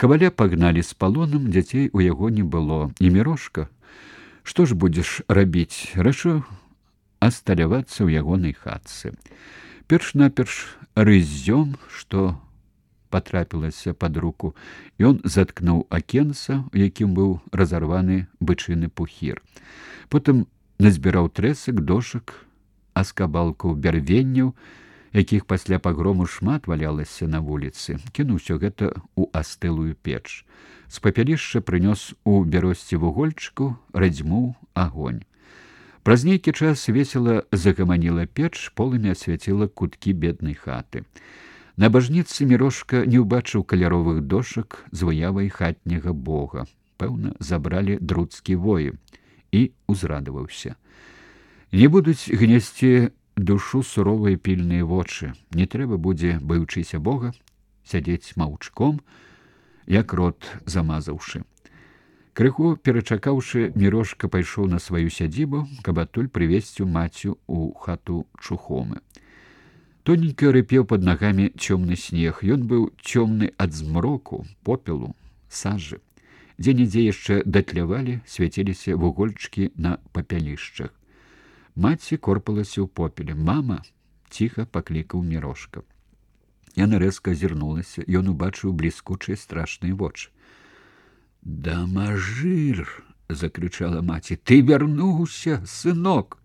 Каваля пагналі з палонам, дзяцей у яго не было. І Мірошка, што ж будзеш рабіць? Рашыў асталявацца ў ягонай хатцы. Перш-наперш рыззём, што патрапілася пад руку, ён заткнуў акенца, у якім быў разарваны бычыны пухір. Потым назбіраў трэсак, дошак, аскабалкаў бярвенняў, якіх пасля пагрому шмат валялася на вуліцы. Кінуў усё гэта ў астылую печ. З папялішча прынёс у бяросці вугольчыку, радзьмуў агонь. Праз нейкі час весела загаманіла печ, полымя асвяціла куткі беднай хаты. На бажніцы Мірошка не ўбачыў каляровых дошак з выявай хатняга бога. Пэўна, забралі друцкі воі. І узрадаваўся. Не будуць гнесці душу суровыя пільныя вочы. Не трэба будзе, баючыся Бога, сядзець маўчком, як рот замазаўшы. Крыху перачакаўшы, Мірошка пайшоў на сваю сядзібу, каб адтуль прывезці мацю ў хату Чухомы. Тоненька рыпеў пад нагамі цёмны снег. Ён быў цёмны ад змроку, попелу, сажы. Дзе-нідзе яшчэ датлявалі, свяціліся вугольчыкі на папялішчах. Маці корпалася ў попеле. «Мама!» — ціха паклікаў Мірошка. Яна рэзка азірнулася. Ён убачыў бліскучыя страшныя вочы. «Дамажыр!» — закрычала маці. «Ты вярнуўся, сынок!»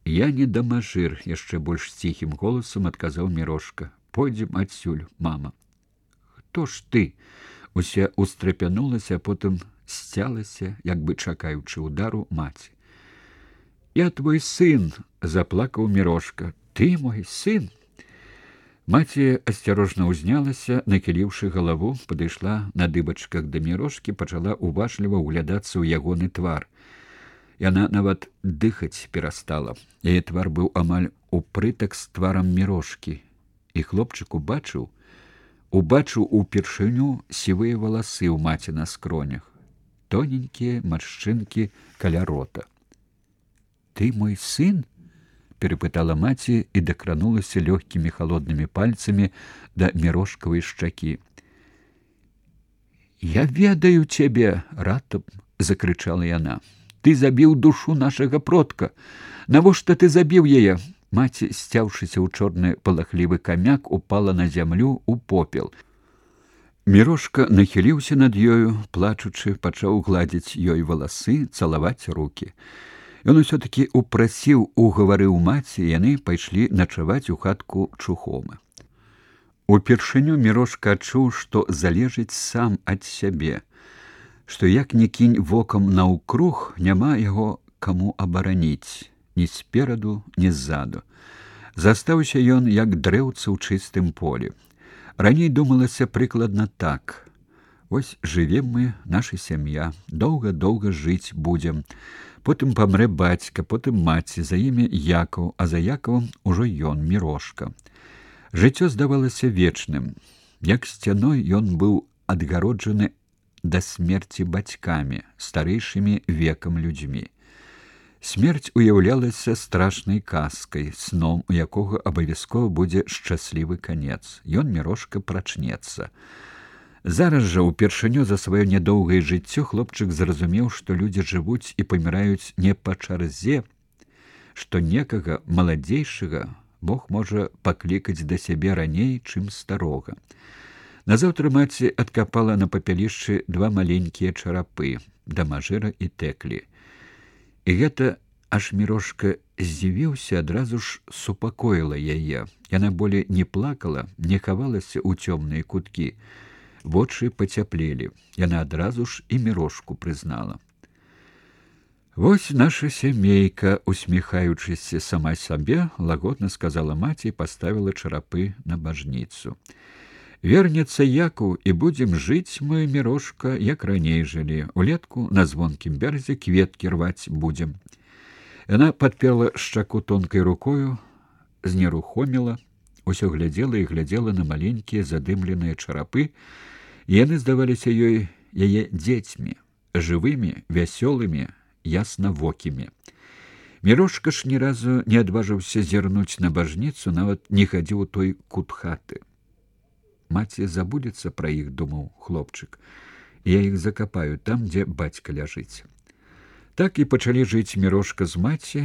«Я не дамажыр!» — яшчэ больш ціхім голасам адказаў Мірошка. «Пойдзем адсюль, мама!» «Хто ж ты?» Уся устрапянулася, а потым сцялася, як бы чакаючы удару маці. «Я твой сын!» — заплакаў Мірошка. «Ты мой сын!» Маці асцярожна ўзнялася, накіліўшы галаву, падышла на дыбачках да Мірошкі, пачала уважліва ўглядацца ў ягоны твар. Яна нават дыхаць перастала. Яе твар быў амаль упрытак з тварам Мірошкі. І хлопчык убачыў упершыню сівыя валасы ў маці на скронях, тоненькія маршчынкі каля рота. «Ты мой сын?» — перапытала маці і дакранулася лёгкімі халоднымі пальцамі да Мірошкавай шчакі. «Я ведаю цябе!» — ратам закрычала яна. «Ты забіў душу нашага продка! Навошта ты забіў яе?» Маці, сцяўшыся ў чорны палахлівы камяк, упала на зямлю ў попел. Мірошка нахіліўся над ёю, плачучы, пачаў гладзіць ёй валасы, цалаваць рукі. Ён усё-такі упрасіў, угаварыў маці, і яны пайшлі начаваць у хатку Чухомы. Упершыню Мірошка адчуў, што залежыць сам ад сябе, што як ні кінь вокам наўкруг, няма яго каму абараніць, ні спераду, ні ззаду. Застаўся ён, як дрэўца ў чыстым полі. Раней думалася прыкладна так. Вось жывем мы, наша сям'я, доўга-доўга жыць будзем. Потым памрэ бацька, потым маці, за імі Якаў, а за Якавам ужо ён, Мірошка. Жыццё здавалася вечным. Як сцяной ён быў адгароджаны да смерці бацькамі, старэйшымі векам людзьмі. Смерць уяўлялася страшнай казкай, сном, у якога абавязкова будзе шчаслівы канец. Ён, Мірошка, прачнецца. Зараз жа упершыню за сваё нядоўгае жыццё хлопчык зразумеў, што людзі жывуць і паміраюць не па чарзе, што некага маладзейшага Бог можа паклікаць да сябе раней, чым старога. Назаўтра маці адкапала на папялішчы два маленькія чарапы, дамажыра і тэклі. І гэта аж Мірошка здзівіўся, адразу ж супакоіла яе. Яна болей не плакала, не хавалася ў цёмныя куткі. Вочы пацяплелі. Яна адразу ж і Мірошку прызнала. «Вось наша сямейка», — усміхаючыся сама сабе, лагодна сказала маці і паставіла чарапы на бажніцу. «Вернецца Якаў, і будзем жыць мы, Мірошка, як раней жылі. Улетку на звонкім беразе кветкі рваць будзем». Яна падперла шчаку тонкай рукою, знерухоміла, усё глядзела і глядзела на маленькія задымленыя чарапы, і яны здаваліся ёй яе дзецьмі, жывымі, вясёлымі, яснавокімі. Мірошка ж ні разу не адважыўся зірнуць на бажніцу, нават не хадзіў у той кут хаты. Маці забудзецца пра іх, думаў хлопчык. Я іх закапаю там, дзе бацька ляжыць. Так і пачалі жыць Мірошка з маці,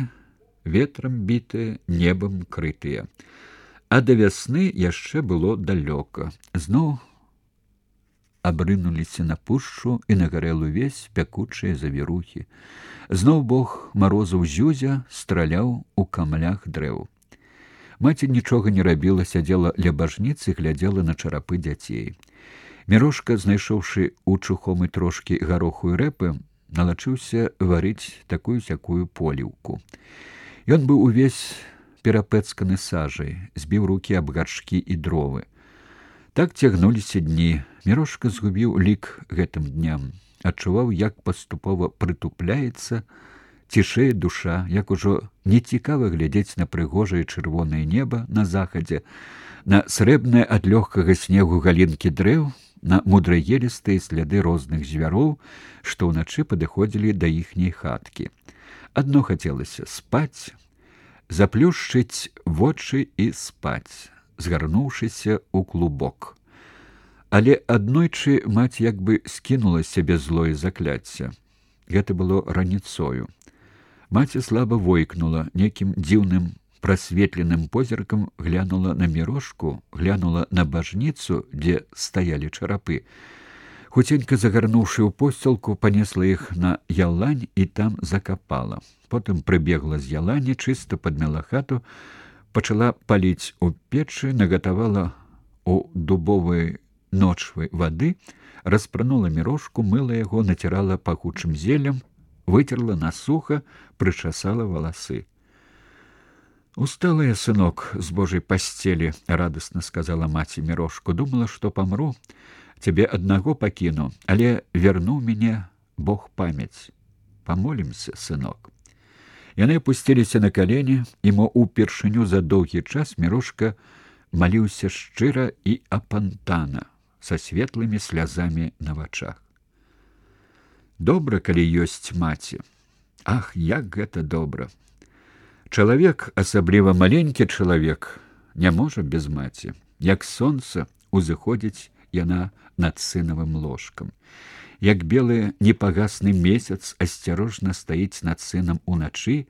ветрам бітыя, небам крытыя. А да вясны яшчэ было далёка. Зноў абрынуліся на пушчу і на гарэлу весь пякучыя завірухі. Зноў бог марозаў Зюзя страляў у камлях дрэў. Маці нічога не рабіла, сядзела ля бажніцы, глядзела на чарапы дзяцей. Мірошка, знайшоўшы у чухомы трошкі гароху і рэпы, налачыўся варыць такую-сякую поліўку. Ён быў увесь перапэцканы сажай, збіў рукі аб гаршкі і дровы. Так цягнуліся дні. Мірошка згубіў лік гэтым дням, адчуваў, як паступова прытупляецца, цішэе душа, як ужо нецікава глядзець на прыгожае чырвонае неба на захадзе, на срэбнае ад лёгкага снегу галінкі дрэў, на мудрагелістыя сляды розных звяроў, што ўначы падыходзілі да іхняй хаткі. Адно хацелася спаць, заплюшчыць вочы і спаць, згарнуўшыся ў клубок. Але аднойчы маці як бы скінула сябе злое закляцце. Гэта было раніцою. Маці слаба войкнула, нейкім дзіўным прасветленым позіркам глянула на Мірошку, глянула на бажніцу, дзе стаялі чарапы. Хуценька загарнуўшы ў посцілку, панесла іх на ялань і там закапала. Потым прыбегла з ялані, чыста падмяла хату, пачала паліць у печы, нагатавала у дубовай ночвы вады, распранула Мірошку, мыла яго, націрала пахучым зеллем, вытерла на сухо, прычасала валасы. «Устала я, сынок, з Божай пасцелі», — радасна сказала маці Мірошку. «Думала, што памру, цябе аднаго пакіну, але вярнуў мяне Бог памяць. Памолімся, сынок». Яны апусціліся на калені, і мо упершыню за доўгі час Мірошка маліўся шчыра і апантана, са светлымі слязамі на вачах. Добра, калі ёсць маці. Ах, як гэта добра! Чалавек, асабліва маленькі чалавек, не можа без маці. Як сонца, узыходзіць яна над сынавым ложкам. Як белы непагасны месяц асцярожна стаіць над сынам уначы,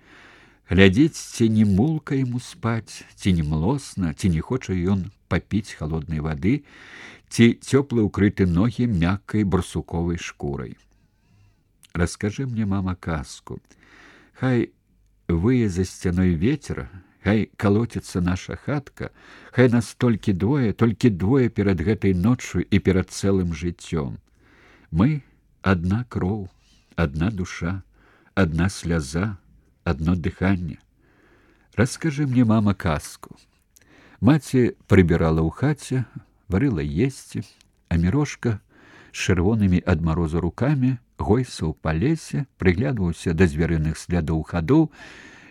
глядзіць, ці не мулка яму спаць, ці не млосна, ці не хоча ён папіць халоднай вады, ці цёпла ўкрыты ногі мяккай барсуковай шкурай. Раскажы мне, мама, казку. Хай вые за сцяной ветер, хай калоціцца наша хатка, хай нас толькі двое перад гэтай ноччу і перад цэлым жыццём. Мы адна кроў, адна душа, адна сляза, адно дыханне. Раскажы мне, мама, казку. Маці прыбірала ў хаце, варыла есці, а Мірошка з чырвонымі ад марозу рукамі гойсаў па лесе, прыглядваўся да звярыных слядоў хадоў,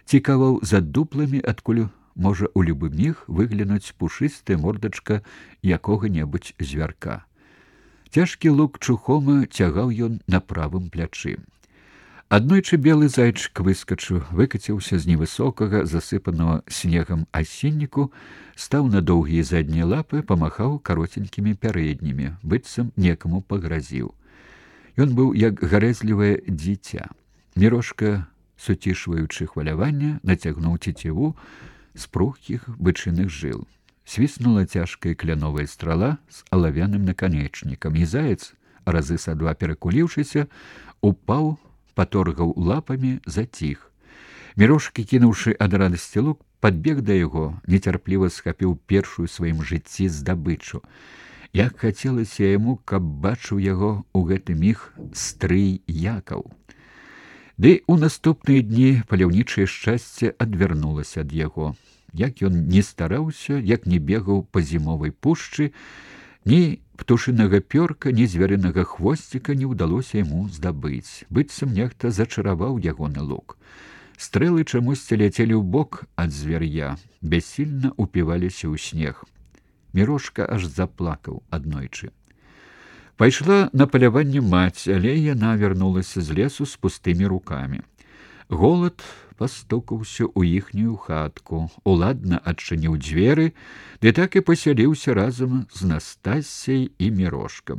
цікаваў за дупламі, адкуль можа ў любы міг выглянуць пушыстая мордачка якога-небудзь звярка. Цяжкі лук чухома цягаў ён на правым плячы. Аднойчы белы зайчык выскачыў, выкаціўся з невысокага, засыпанага снегам асінніку, стаў на доўгія заднія лапы, памахаў каротенькімі пярэднімі, быццам некаму пагразіў. Ён быў як гарэзлівае дзіця. Мірошка, суцішваючы хваляванне, нацягнуў цеціву з пругкіх бычыных жыл. Свіснула цяжкая кляновая страла з алавяным наканечнікам, і заяц, разы са два перакуліўшыся, упаў, паторгаў лапамі, заціх. Мірошка, кінуўшы ад радасці лук, падбег да яго, нецярпліва схапіў першую сваім жыцці здабычу. Як хацелася яму, каб бачыў яго ў гэты міг стрый Якаў. Ды ў наступныя дні паляўнічае шчасце адвярнулася ад яго. Як ён не стараўся, як не бегаў па зімовай пушчы, ні птушынага пёрка, ні звярынага хвосціка не ўдалося яму здабыць. Быццам нехта зачараваў ягоны лук. Стрэлы чамусьці ляцелі ў бок ад звяр'я, бяссільна упіваліся ў снег. Мірошка аж заплакаў аднойчы. Пайшла на паляванне маці, але яна вярнулася з лесу з пустымі рукамі. Голад пастукаўся ў іхнюю хатку, уладна адчыніў дзверы, ды так і пасяліўся разам з Настасьяй і Мірошкам.